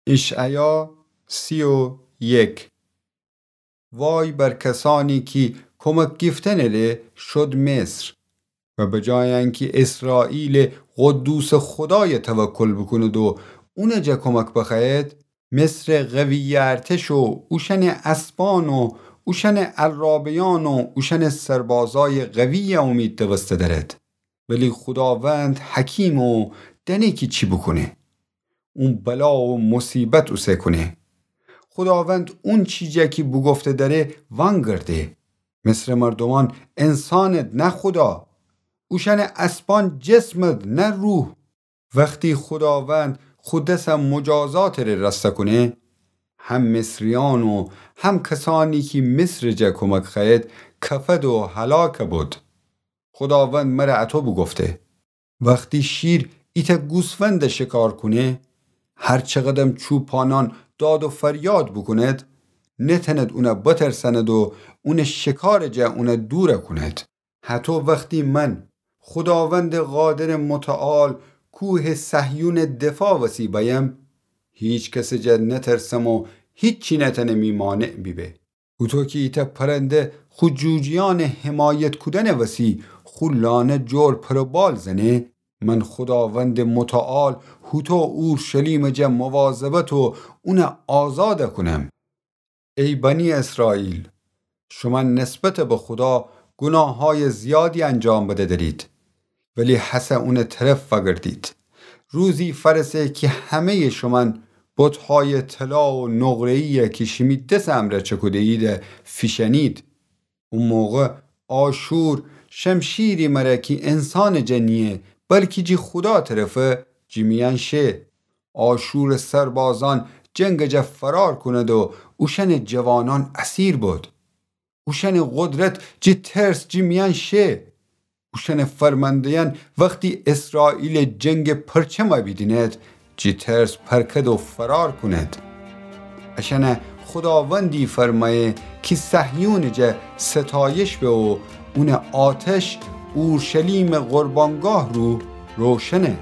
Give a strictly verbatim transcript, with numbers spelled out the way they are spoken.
اشعیا سی و یک. وای بر کسانی کی کمک گیفتنٚ ره شد مصر و بجای انکی اسرائیلٚ قدوسٚ خودای توکل بوکوند و اونٚ جا کمک بخوأید، مصرٚ قویٚ ارتش و اوشأنٚ اسبأن و اوشأنٚ عرابه‌یأن و اوشأنٚ سربازأیٚ قویٚ اومید دوسته دأرد. ولی خوداوند حکیمه و دأنه کی چی بوکونه. اون بلا و مصیبت اوسه کونه. خوداوند اونچی جا کی بوگفته دأره وأنگرده. مصرٚ مردومأن انسانید نه خودا. اوشأنٚ اسبأن جسمید نه روح. وختی خوداوند خو دس مجازاتٚ ره رأسا کونه، هم مصریأن و هم کسأنی کی مصرٚ جا کمک خوأید کفد و هلاک بد. خوداوند مر اطو بوگفته: وختی شیر ایتأ گوسفند شکار کونه، هر چقدم چوپانأن داد و فریاد بوکوند، نتأند اون بترسأند و اونٚ شکارٚ جا اون دور کونید. هطو وختی من، خوداوندٚ قادرٚ متعال، کوهٚ صهیونٚ دفاع وسی بأیم، هیکسٚ جا نترسم و هیچی نتأنه می مانع بیبه. هوطو کی ایتأ پرنده خو جوجه‌یأنٚ حمایت کودنٚ وسی خو لانه جور پر و بال زنه، من خوداوندٚ متعال هوطو اورشلیمٚ جا مواظبت و اون آزاد کونم. ای بنی اسرائیل، شومأن نسبت به خودا گوناهأیٚ زیادی انجام بده درید، ولی هسه اونٚ طرف وأگردید. روزی فأرسه کی همه‌یٚ شومأن بتهأیٚ طلا و نقره‌یی کی شیمی دسٚ امرأ چکوده‌ییده فیشأنید. او موقع آشور شمشیری مره کی انسانٚ جا نییه، بلکی جی خودا طرفه، جی میأن شه. آشورٚ سربازأن جنگٚ جا فرار کونید و اوشأنٚ جوانأن اسیر بد. اوشأنٚ قدرت جی ترس جی میأن شه. اوشأنٚ فرمانده‌یأن وختی اسرائیلٚ جنگٚ پرچم بیدینید، جی ترس پرکد و فرار کونید. اشأنه خوداوندی فرمأیه کی صهیونٚ جا ستایش به و اونٚ آتش اورشلیمٚ قربانگاه رو روشنه.